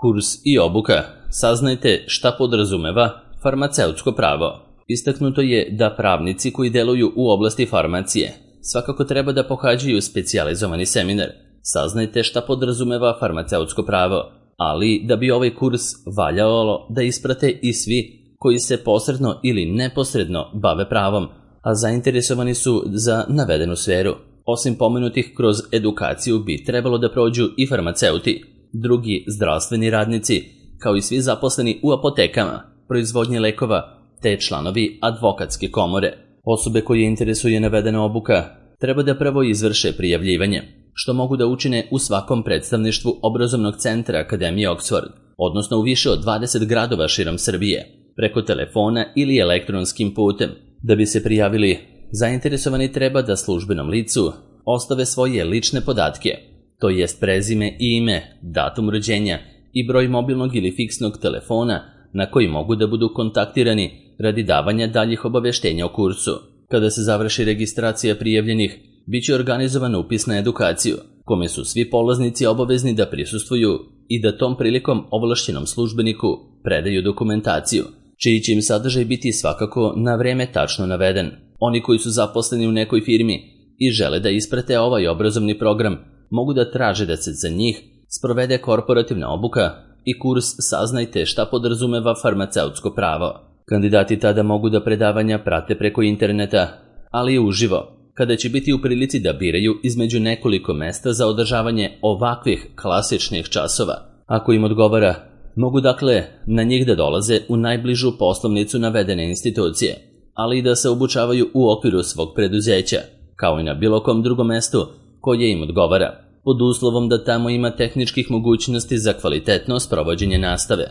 Kurs i obuka. Saznajte šta podrazumeva farmaceutsko pravo. Istaknuto je da pravnici koji deluju u oblasti farmacije svakako treba da pohađaju specijalizovani seminar. Saznajte šta podrazumeva farmaceutsko pravo, ali da bi ovaj kurs valjalo da isprate i svi koji se posredno ili neposredno bave pravom, a zainteresovani su za navedenu sferu. Osim pomenutih, kroz edukaciju bi trebalo da prođu i farmaceuti, drugi zdravstveni radnici, kao i svi zaposleni u apotekama, proizvodnji lekova, te članovi advokatske komore. Osobe koje interesuje navedena obuka treba da prvo izvrše prijavljivanje, što mogu da učine u svakom predstavništvu obrazovnog centra Akademije Oxford, odnosno u više od 20 gradova širom Srbije, preko telefona ili elektronskim putem. Da bi se prijavili, zainteresovani treba da službenom licu ostave svoje lične podatke, to jest prezime i ime, datum rođenja i broj mobilnog ili fiksnog telefona na koji mogu da budu kontaktirani radi davanja daljih obaveštenja o kursu. Kada se završi registracija prijavljenih, bit će organizovan upis na edukaciju, kome su svi polaznici obavezni da prisustvuju i da tom prilikom ovlašćenom službeniku predaju dokumentaciju, čiji će im sadržaj biti svakako na vreme tačno naveden. Oni koji su zaposleni u nekoj firmi i žele da isprate ovaj obrazovni program, mogu da traže da se za njih sprovede korporativna obuka i kurs Saznajte šta podrazumeva farmaceutsko pravo. Kandidati tada mogu da predavanja prate preko interneta, ali i uživo, kada će biti u prilici da biraju između nekoliko mesta za održavanje ovakvih klasičnih časova. Ako im odgovara, mogu dakle na njih da dolaze u najbližu poslovnicu navedene institucije, ali i da se obučavaju u okviru svog preduzeća, kao i na bilo kom drugom mestu koje im odgovara, pod uslovom da tamo ima tehničkih mogućnosti za kvalitetno sprovođenje nastave.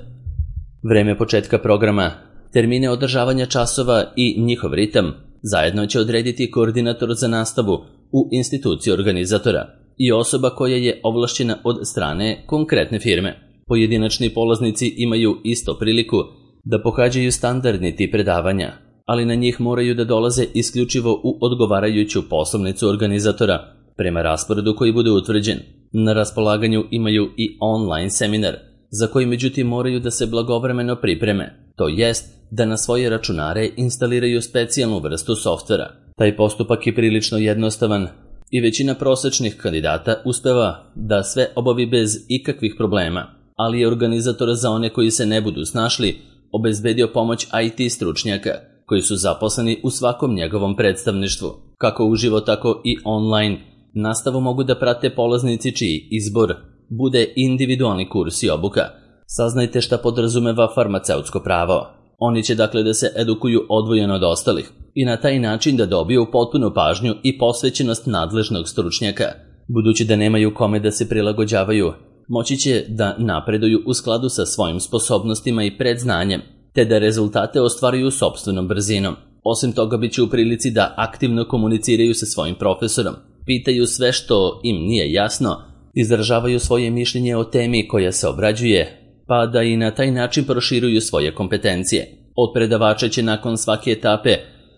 Vreme početka programa, termine održavanja časova i njihov ritam zajedno će odrediti koordinator za nastavu u instituciji organizatora i osoba koja je ovlašćena od strane konkretne firme. Pojedinačni polaznici imaju isto priliku da pohađaju standardni tip predavanja, ali na njih moraju da dolaze isključivo u odgovarajuću poslovnicu organizatora prema rasporedu koji bude utvrđen. Na raspolaganju imaju i online seminar, za koji međutim moraju da se blagovremeno pripreme, to jest da na svoje računare instaliraju specijalnu vrstu softvera. Taj postupak je prilično jednostavan i većina prosečnih kandidata uspeva da sve obavi bez ikakvih problema, ali je organizator za one koji se ne budu snašli obezbedio pomoć IT stručnjaka koji su zaposleni u svakom njegovom predstavništvu. Kako uživo, tako i online nastavu mogu da prate polaznici čiji izbor bude individualni kurs i obuka. Saznajte šta podrazumeva farmaceutsko pravo. Oni će dakle da se edukuju odvojeno od ostalih i na taj način da dobiju potpunu pažnju i posvećenost nadležnog stručnjaka. Budući da nemaju kome da se prilagođavaju, moći će da napreduju u skladu sa svojim sposobnostima i predznanjem, te da rezultate ostvaruju sopstvenom brzinom. Osim toga, bit će u prilici da aktivno komuniciraju sa svojim profesorom, pitaju sve što im nije jasno, izražavaju svoje mišljenje o temi koja se obrađuje, pa da i na taj način proširuju svoje kompetencije. Od predavača će nakon svake etape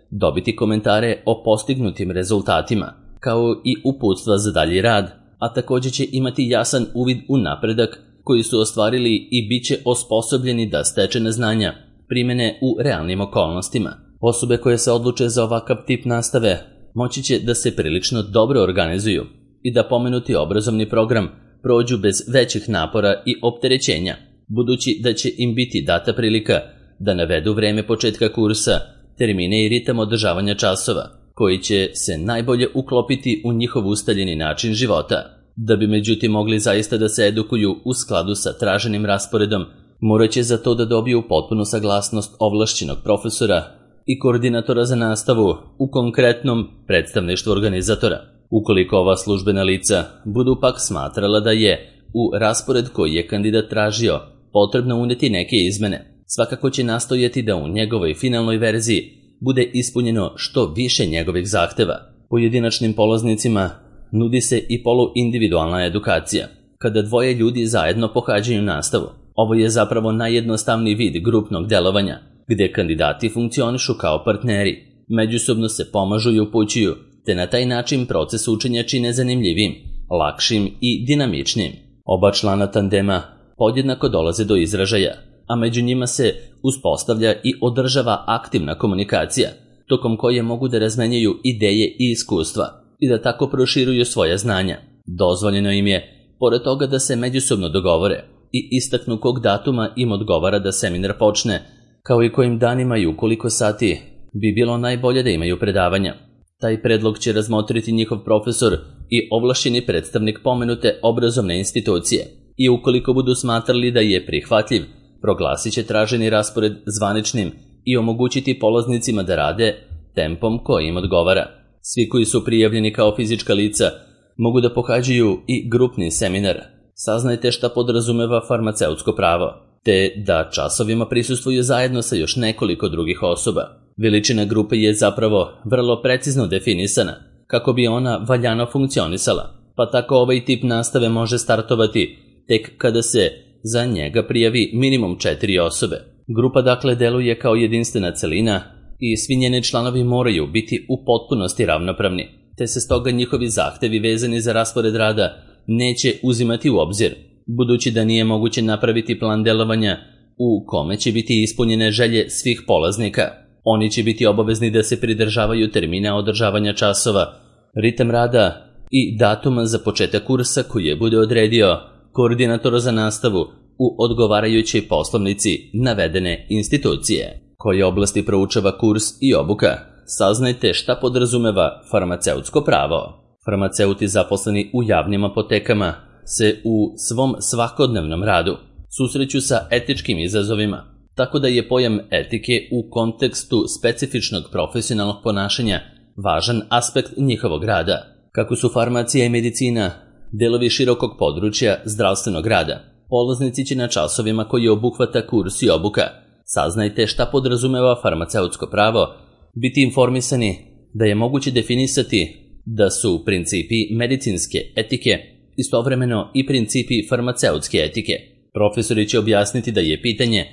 dobiti komentare o postignutim rezultatima, kao i uputstva za dalji rad, a također će imati jasan uvid u napredak koji su ostvarili i bit će osposobljeni da stečene znanja primene u realnim okolnostima. Osobe koje se odluče za ovakav tip nastave moći će da se prilično dobro organizuju i da pomenuti obrazovni program prođu bez većih napora i opterećenja, budući da će im biti data prilika da navedu vreme početka kursa, termine i ritam održavanja časova, koji će se najbolje uklopiti u njihov ustaljeni način života. Da bi međutim mogli zaista da se edukuju u skladu sa traženim rasporedom, morat će za to da dobiju potpunu saglasnost ovlašćenog profesora i koordinatora za nastavu u konkretnom predstavništvu organizatora. Ukoliko ova službena lica budu pak smatrala da je u raspored koji je kandidat tražio potrebno uneti neke izmene, svakako će nastojati da u njegovoj finalnoj verziji bude ispunjeno što više njegovih zahteva. Pojedinačnim polaznicima nudi se i poluindividualna edukacija, kada dvoje ljudi zajedno pohađaju nastavu. Ovo je zapravo najjednostavniji vid grupnog delovanja, gde kandidati funkcionišu kao partneri, međusobno se pomažu i upućuju, te na taj način proces učenja čine zanimljivim, lakšim i dinamičnim. Oba člana tandema podjednako dolaze do izražaja, a među njima se uspostavlja i održava aktivna komunikacija, tokom koje mogu da razmenjuju ideje i iskustva i da tako proširuju svoja znanja. Dozvoljeno im je, pored toga, da se međusobno dogovore i istaknu kog datuma im odgovara da seminar počne, kao i kojim danima i u koliko sati bi bilo najbolje da imaju predavanja. Taj predlog će razmotriti njihov profesor i ovlašćeni predstavnik pomenute obrazovne institucije i ukoliko budu smatrali da je prihvatljiv, proglasit će traženi raspored zvaničnim i omogućiti polaznicima da rade tempom koji im odgovara. Svi koji su prijavljeni kao fizička lica mogu da pohađaju i grupni seminar. Saznajte šta podrazumeva farmaceutsko pravo, te da časovima prisustvuju zajedno sa još nekoliko drugih osoba. Veličina grupe je zapravo vrlo precizno definisana kako bi ona valjano funkcionisala, pa tako ovaj tip nastave može startovati tek kada se za njega prijavi minimum 4 osobe. Grupa dakle deluje kao jedinstvena celina i svi njeni članovi moraju biti u potpunosti ravnopravni, te se stoga njihovi zahtevi vezani za raspored rada neće uzimati u obzir, budući da nije moguće napraviti plan delovanja u kome će biti ispunjene želje svih polaznika. Oni će biti obavezni da se pridržavaju termina održavanja časova, ritam rada i datuma za početak kursa koji je bude odredio koordinator za nastavu u odgovarajućoj poslovnici navedene institucije. Koje oblasti proučava kurs i obuka? Saznajte šta podrazumeva farmaceutsko pravo. Farmaceuti zaposleni u javnim apotekama se u svom svakodnevnom radu susreću sa etičkim izazovima, tako da je pojam etike u kontekstu specifičnog profesionalnog ponašanja važan aspekt njihovog rada. Kako su farmacija i medicina delovi širokog područja zdravstvenog rada, polaznici će na časovima koji obuhvata kurs i obuka Saznajte šta podrazumeva farmaceutsko pravo, biti informisani da je moguće definisati da su principi medicinske etike istovremeno i principi farmaceutske etike. Profesori će objasniti da je pitanje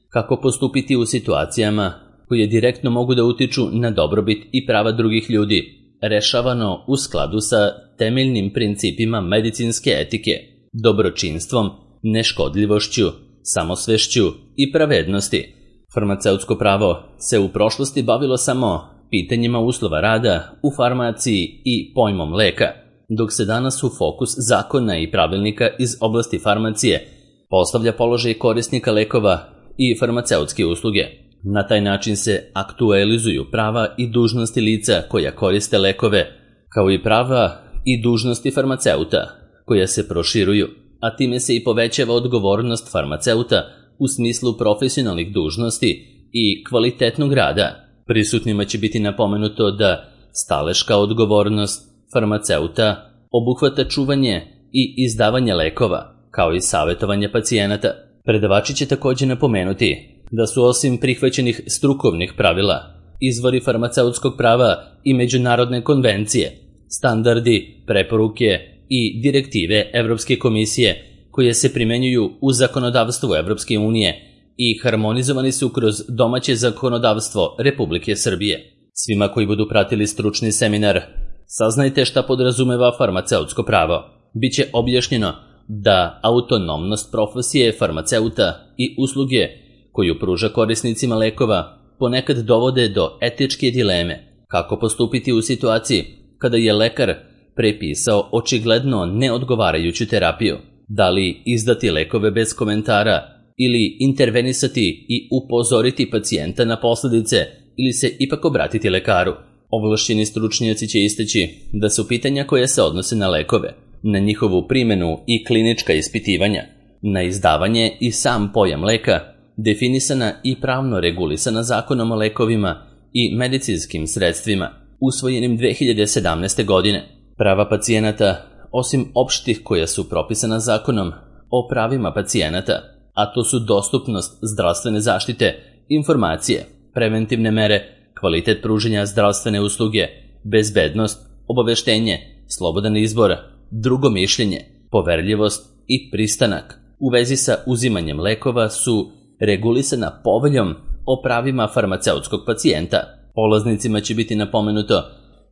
kako postupiti u situacijama koje direktno mogu da utiču na dobrobit i prava drugih ljudi, rešavano u skladu sa temeljnim principima medicinske etike, dobročinstvom, neškodljivošću, samosvešću i pravednosti. Farmaceutsko pravo se u prošlosti bavilo samo pitanjima uslova rada u farmaciji i pojmom leka, dok se danas u fokus zakona i pravilnika iz oblasti farmacije postavlja položaj korisnika lekova i farmaceutske usluge. Na taj način se aktualizuju prava i dužnosti lica koja koriste lekove, kao i prava i dužnosti farmaceuta, koja se proširuju, a time se i povećava odgovornost farmaceuta u smislu profesionalnih dužnosti i kvalitetnog rada. Prisutnima će biti napomenuto da staleška odgovornost farmaceuta obuhvata čuvanje i izdavanje lekova, kao i savjetovanje pacijenata. Predavači će također napomenuti da su osim prihvaćenih strukovnih pravila, izvori farmaceutskog prava i međunarodne konvencije, standardi, preporuke i direktive Evropske komisije koje se primenjuju u zakonodavstvu Evropske unije i harmonizovani su kroz domaće zakonodavstvo Republike Srbije. Svima koji budu pratili stručni seminar, saznajte šta podrazumeva farmaceutsko pravo. Biće objašnjeno da autonomnost profesije farmaceuta i usluge koju pruža korisnicima lekova ponekad dovode do etičke dileme kako postupiti u situaciji kada je lekar prepisao očigledno neodgovarajuću terapiju. Da li izdati lekove bez komentara ili intervenisati i upozoriti pacijenta na posljedice ili se ipak obratiti lekaru. Ovlašćeni stručnjaci će istaći da su pitanja koja se odnose na lekove, na njihovu primjenu i klinička ispitivanja, na izdavanje i sam pojam leka, definisana i pravno regulisana zakonom o lekovima i medicinskim sredstvima, usvojenim 2017. godine. Prava pacijenata, osim opštih koja su propisana zakonom o pravima pacijenata, a to su dostupnost zdravstvene zaštite, informacije, preventivne mere, kvalitet pružanja zdravstvene usluge, bezbednost, obaveštenje, slobodan izbor, drugo mišljenje, poverljivost i pristanak u vezi sa uzimanjem lekova su regulisana poveljom o pravima farmaceutskog pacijenta. Polaznicima će biti napomenuto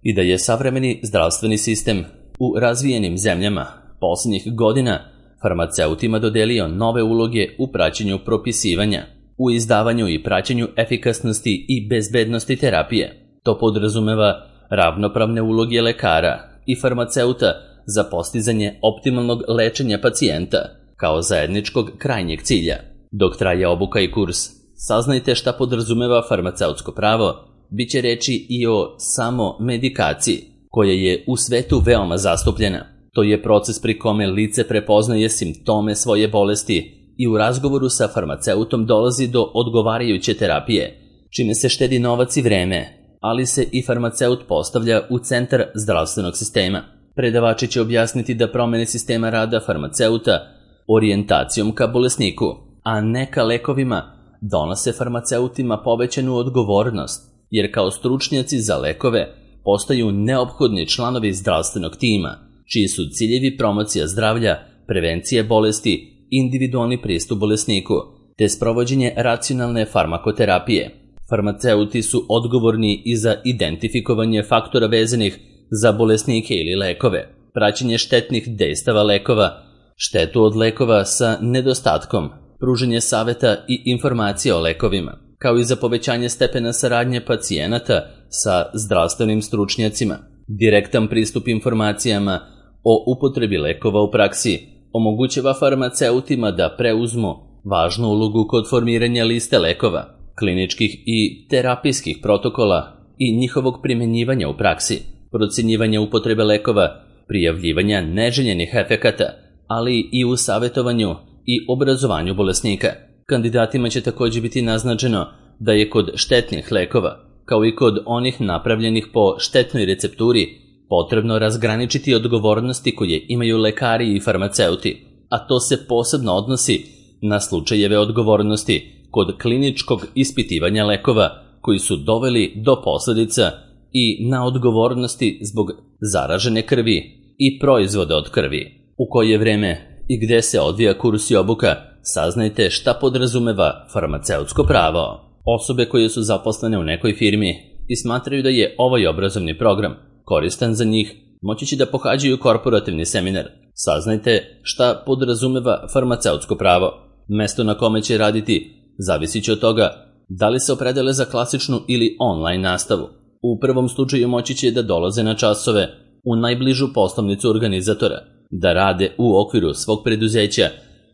i da je savremeni zdravstveni sistem u razvijenim zemljama posljednjih godina farmaceutima dodelio nove uloge u praćenju propisivanja, u izdavanju i praćenju efikasnosti i bezbednosti terapije. To podrazumeva ravnopravne uloge lekara i farmaceuta za postizanje optimalnog lečenja pacijenta kao zajedničkog krajnjeg cilja. Dok traje obuka i kurs, saznajte šta podrazumeva farmaceutsko pravo, bit će reči i o samomedikaciji, koja je u svetu veoma zastupljena. To je proces pri kome lice prepoznaje simptome svoje bolesti i u razgovoru sa farmaceutom dolazi do odgovarajuće terapije, čime se štedi novac i vreme, ali se i farmaceut postavlja u centar zdravstvenog sistema. Predavači će objasniti da promene sistema rada farmaceuta orijentacijom ka bolesniku, a ne ka lekovima, donose farmaceutima povećanu odgovornost, jer kao stručnjaci za lekove postaju neophodni članovi zdravstvenog tima, čiji su ciljevi promocija zdravlja, prevencije bolesti, individualni pristup bolesniku, te sprovođenje racionalne farmakoterapije. Farmaceuti su odgovorni i za identifikovanje faktora vezanih za bolesnike ili lekove, praćenje štetnih dejstava lekova, štetu od lekova sa nedostatkom, pružanje saveta i informacija o lekovima, kao i za povećanje stepena saradnje pacijenata sa zdravstvenim stručnjacima. Direktan pristup informacijama o upotrebi lekova u praksi omogućava farmaceutima da preuzmu važnu ulogu kod formiranja liste lekova, kliničkih i terapijskih protokola i njihovog primenjivanja u praksi, procenjivanja upotrebe lekova, prijavljivanja neželjenih efekata, ali i u savjetovanju i obrazovanju bolesnika. Kandidatima će također biti naznačeno da je kod štetnih lekova, kao i kod onih napravljenih po štetnoj recepturi, potrebno razgraničiti odgovornosti koje imaju lekari i farmaceuti, a to se posebno odnosi na slučajeve odgovornosti kod kliničkog ispitivanja lekova koji su doveli do posljedica i na odgovornosti zbog zaražene krvi i proizvoda od krvi. U koje vreme i gde se odvija kurs i obuka, saznajte šta podrazumeva farmaceutsko pravo. Osobe koje su zaposlene u nekoj firmi i smatraju da je ovaj obrazovni program koristan za njih, moći će da pohađaju korporativni seminar. Saznajte šta podrazumeva farmaceutsko pravo. Mesto na kome će raditi zavisit će od toga da li se opredele za klasičnu ili online nastavu. U prvom slučaju moći će da dolaze na časove u najbližu poslovnicu organizatora, da rade u okviru svog preduzeća,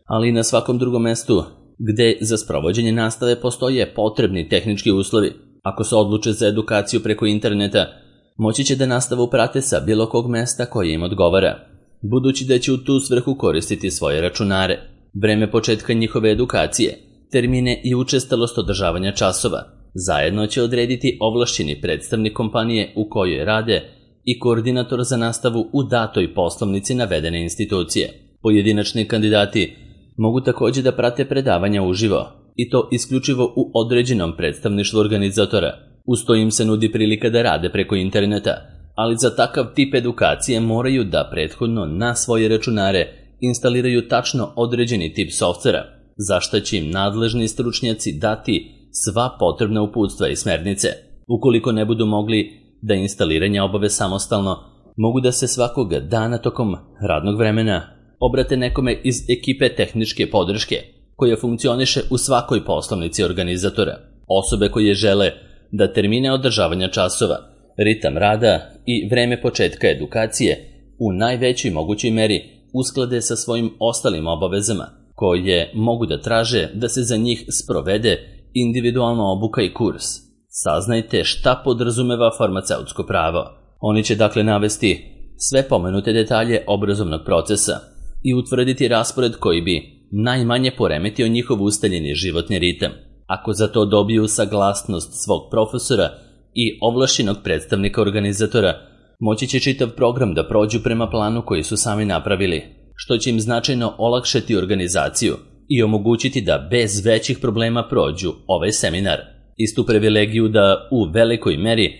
ali i na svakom drugom mestu gde za sprovođenje nastave postoje potrebni tehnički uslovi. Ako se odluče za edukaciju preko interneta, moći će da nastavu prate sa bilo kog mesta koje im odgovara, budući da će u tu svrhu koristiti svoje računare. Vreme početka njihove edukacije, termine i učestalost održavanja časova zajedno će odrediti ovlašćeni predstavnik kompanije u kojoj rade i koordinator za nastavu u datoj poslovnici navedene institucije. Pojedinačni kandidati mogu također da prate predavanja uživo, i to isključivo u određenom predstavništvu organizatora. Uz to im se nudi prilika da rade preko interneta, ali za takav tip edukacije moraju da prethodno na svoje računare instaliraju tačno određeni tip softvera, za što će im nadležni stručnjaci dati sva potrebna uputstva i smernice. Ukoliko ne budu mogli da instaliranje obave samostalno, mogu da se svakog dana tokom radnog vremena obrate nekome iz ekipe tehničke podrške, koja funkcioniše u svakoj poslovnici organizatora. Osobe koje žele da termine održavanja časova, ritam rada i vreme početka edukacije u najvećoj mogućoj meri usklade sa svojim ostalim obavezama, koje mogu da traže da se za njih sprovede individualna obuka i kurs. Saznajte šta podrazumeva farmaceutsko pravo. Oni će dakle navesti sve pomenute detalje obrazovnog procesa i utvrditi raspored koji bi najmanje poremetio njihov ustaljeni životni ritam. Ako za to dobiju saglasnost svog profesora i ovlašćenog predstavnika organizatora, moći će čitav program da prođu prema planu koji su sami napravili, što će im značajno olakšati organizaciju i omogućiti da bez većih problema prođu ovaj seminar. Istu privilegiju da u velikoj meri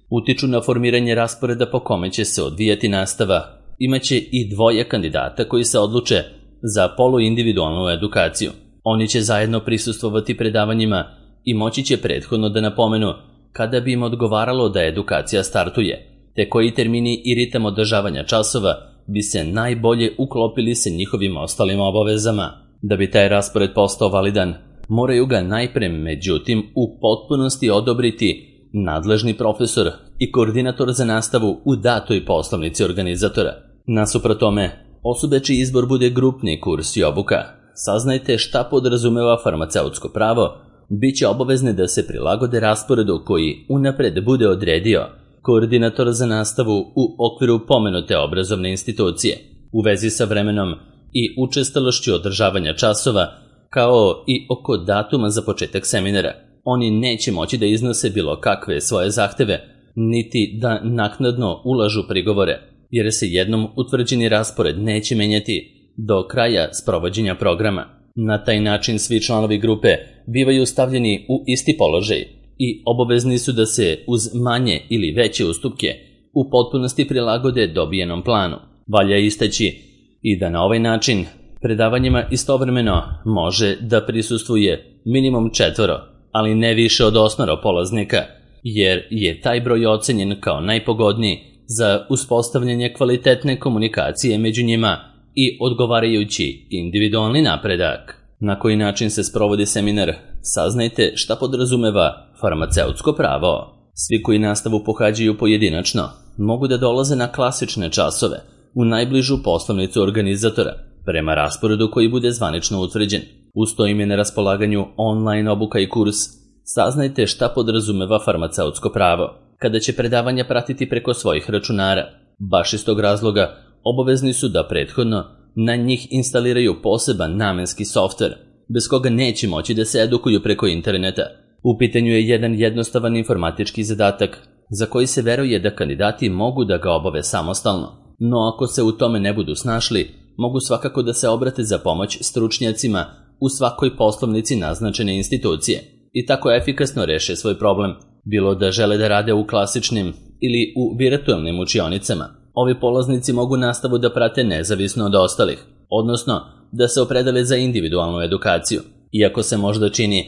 utiču na formiranje rasporeda po kome će se odvijati nastava imaće i dvoje kandidata koji se odluče za poluindividualnu edukaciju. Oni će zajedno prisustvovati predavanjima i moći će prethodno da napomenu kada bi im odgovaralo da edukacija startuje, te koji termini i ritam održavanja časova bi se najbolje uklopili sa njihovim ostalim obavezama. Da bi taj raspored postao validan, moraju ga najpre, međutim, u potpunosti odobriti nadležni profesor i koordinator za nastavu u datoj poslovnici organizatora. Nasuprot tome, osobe čiji izbor bude grupni kurs i obuka, saznajte šta podrazumeva farmaceutsko pravo, bit će obavezne da se prilagode rasporedu koji unapred bude odredio koordinator za nastavu u okviru pomenute obrazovne institucije, u vezi sa vremenom i učestalošću održavanja časova, kao i oko datuma za početak seminara. Oni neće moći da iznose bilo kakve svoje zahteve, niti da naknadno ulažu prigovore, jer se jednom utvrđeni raspored neće menjati do kraja sprovođenja programa. Na taj način svi članovi grupe bivaju stavljeni u isti položaj i obavezni su da se uz manje ili veće ustupke u potpunosti prilagode dobijenom planu. Valja istaći i da na ovaj način predavanjima istovremeno može da prisustvuje minimum 4, ali ne više od 8 polaznika, jer je taj broj ocenjen kao najpogodniji za uspostavljanje kvalitetne komunikacije među njima i odgovarajući individualni napredak. Na koji način se sprovodi seminar, saznajte šta podrazumeva farmaceutsko pravo. Svi koji nastavu pohađaju pojedinačno mogu da dolaze na klasične časove u najbližu poslovnicu organizatora, prema rasporedu koji bude zvanično utvrđen. Uz to im je na raspolaganju online obuka i kurs. Saznajte šta podrazumeva farmaceutsko pravo, kada će predavanja pratiti preko svojih računara. Baš iz tog razloga obavezni su da prethodno na njih instaliraju poseban namenski softver, bez koga neće moći da se edukuju preko interneta. U pitanju je jedan jednostavan informatički zadatak, za koji se veruje da kandidati mogu da ga obave samostalno, no ako se u tome ne budu snašli, mogu svakako da se obrate za pomoć stručnjacima u svakoj poslovnici naznačene institucije i tako efikasno reše svoj problem, bilo da žele da rade u klasičnim ili u virtualnim učionicama. Ovi polaznici mogu nastavu da prate nezavisno od ostalih, odnosno da se opredele za individualnu edukaciju, iako se možda čini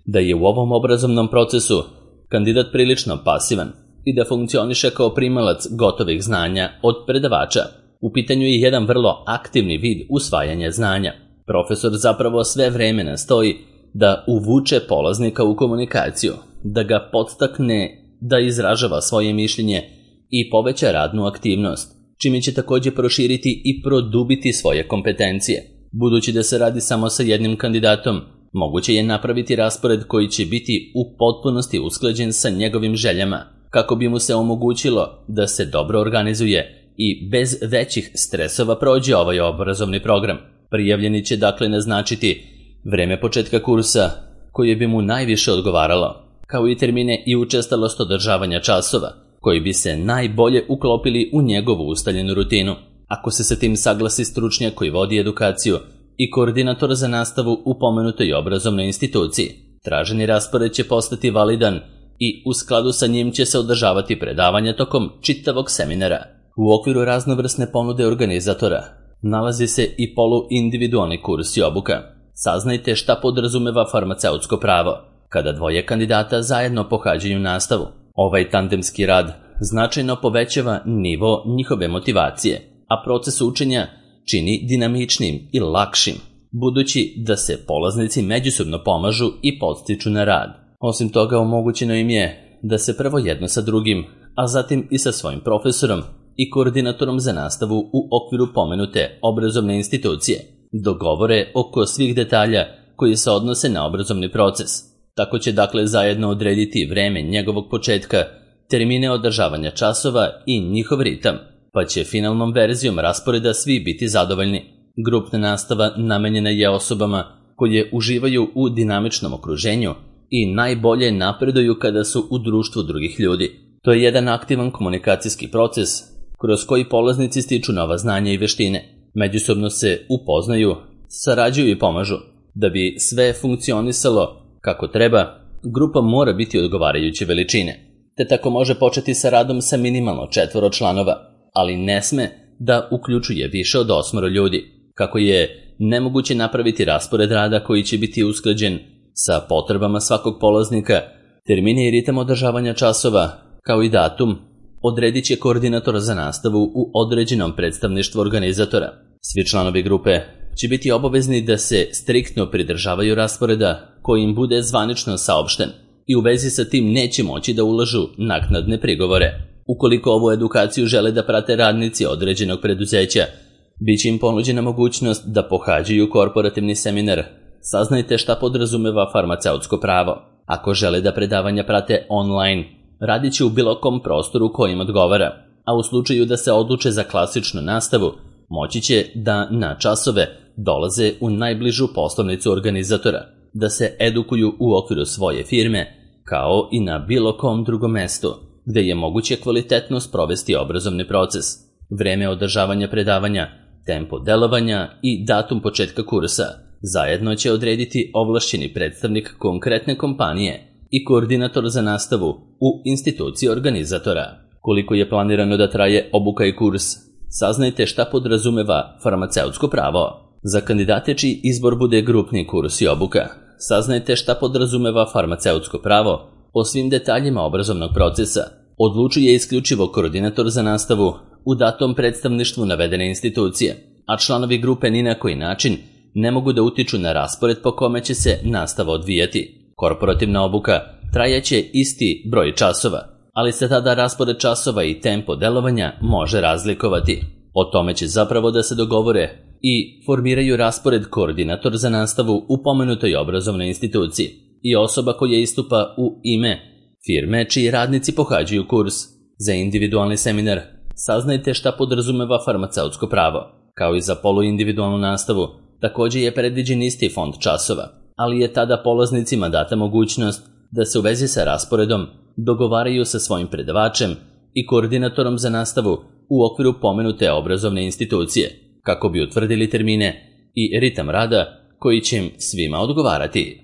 da je u ovom obrazovnom procesu kandidat prilično pasivan i da funkcioniše kao primalac gotovih znanja od predavača. U pitanju je jedan vrlo aktivni vid usvajanja znanja. Profesor zapravo sve vreme nastoji da uvuče polaznika u komunikaciju, da ga podstakne da izražava svoje mišljenje i poveća radnu aktivnost, čime će također proširiti i produbiti svoje kompetencije. Budući da se radi samo sa jednim kandidatom, moguće je napraviti raspored koji će biti u potpunosti usklađen sa njegovim željama, kako bi mu se omogućilo da se dobro organizuje i bez većih stresova prođe ovaj obrazovni program. Prijavljeni će dakle naznačiti vreme početka kursa koje bi mu najviše odgovaralo, kao i termine i učestalost održavanja časova, koji bi se najbolje uklopili u njegovu ustaljenu rutinu. Ako se sa tim saglasi stručnjak koji vodi edukaciju i koordinator za nastavu u pomenutoj obrazovnoj instituciji, traženi raspored će postati validan i u skladu sa njim će se održavati predavanja tokom čitavog seminara. U okviru raznovrsne ponude organizatora nalazi se i poluindividualni kurs i obuka. Saznajte šta podrazumeva farmaceutsko pravo, kada dvoje kandidata zajedno pohađaju nastavu. Ovaj tandemski rad značajno povećava nivo njihove motivacije, a proces učenja čini dinamičnim i lakšim, budući da se polaznici međusobno pomažu i podstiču na rad. Osim toga, omogućeno im je da se prvo jedno sa drugim, a zatim i sa svojim profesorom i koordinatorom za nastavu u okviru pomenute obrazovne institucije dogovore oko svih detalja koji se odnose na obrazovni proces. Tako će dakle zajedno odrediti vreme njegovog početka, termine održavanja časova i njihov ritam, pa će finalnom verzijom rasporeda svi biti zadovoljni. Grupna nastava namenjena je osobama koje uživaju u dinamičnom okruženju i najbolje napreduju kada su u društvu drugih ljudi. To je jedan aktivan komunikacijski proces kroz koji polaznici stiču nova znanja i veštine. Međusobno se upoznaju, sarađuju i pomažu. Da bi sve funkcionisalo kako treba, grupa mora biti odgovarajuće veličine, te tako može početi sa radom sa minimalno 4 članova, ali ne sme da uključuje više od 8 ljudi, kako je nemoguće napraviti raspored rada koji će biti usklađen sa potrebama svakog polaznika, termine i ritam održavanja časova, kao i datum odredit će koordinator za nastavu u određenom predstavništvu organizatora. Svi članovi grupe će biti obavezni da se striktno pridržavaju rasporeda koji im bude zvanično saopšten i u vezi sa tim neće moći da ulažu naknadne prigovore. Ukoliko ovu edukaciju žele da prate radnici određenog preduzeća, bit će im ponuđena mogućnost da pohađaju korporativni seminar. Saznajte šta podrazumeva farmaceutsko pravo. Ako žele da predavanja prate online, radit će u bilo kom prostoru kojim odgovara, a u slučaju da se odluče za klasičnu nastavu, moći će da na časove dolaze u najbližu poslovnicu organizatora, da se edukuju u okviru svoje firme, kao i na bilo kom drugom mestu, gde je moguće kvalitetno sprovesti obrazovni proces. Vreme održavanja predavanja, tempo delovanja i datum početka kursa zajedno će odrediti ovlašćeni predstavnik konkretne kompanije i koordinator za nastavu u instituciji organizatora. Koliko je planirano da traje obuka i kurs? Saznajte šta podrazumeva farmaceutsko pravo. Za kandidate čiji izbor bude grupni kurs i obuka, saznajte šta podrazumeva farmaceutsko pravo po svim detaljima obrazovnog procesa. Odlučuje isključivo koordinator za nastavu u datom predstavništvu navedene institucije, a članovi grupe ni na koji način ne mogu da utiču na raspored po kome će se nastava odvijati. Korporativna obuka trajaće isti broj časova, ali se tada raspored časova i tempo delovanja može razlikovati. O tome će zapravo da se dogovore i formiraju raspored koordinator za nastavu u pomenutoj obrazovnoj instituciji i osoba koja istupa u ime firme čiji radnici pohađaju kurs. Za individualni seminar saznajte šta podrazumeva farmaceutsko pravo. Kao i za poluindividualnu nastavu, također je predviđen isti fond časova, ali je tada polaznicima data mogućnost da se u vezi sa rasporedom dogovaraju sa svojim predavačem i koordinatorom za nastavu u okviru pomenute obrazovne institucije, kako bi utvrdili termine i ritam rada koji će im svima odgovarati.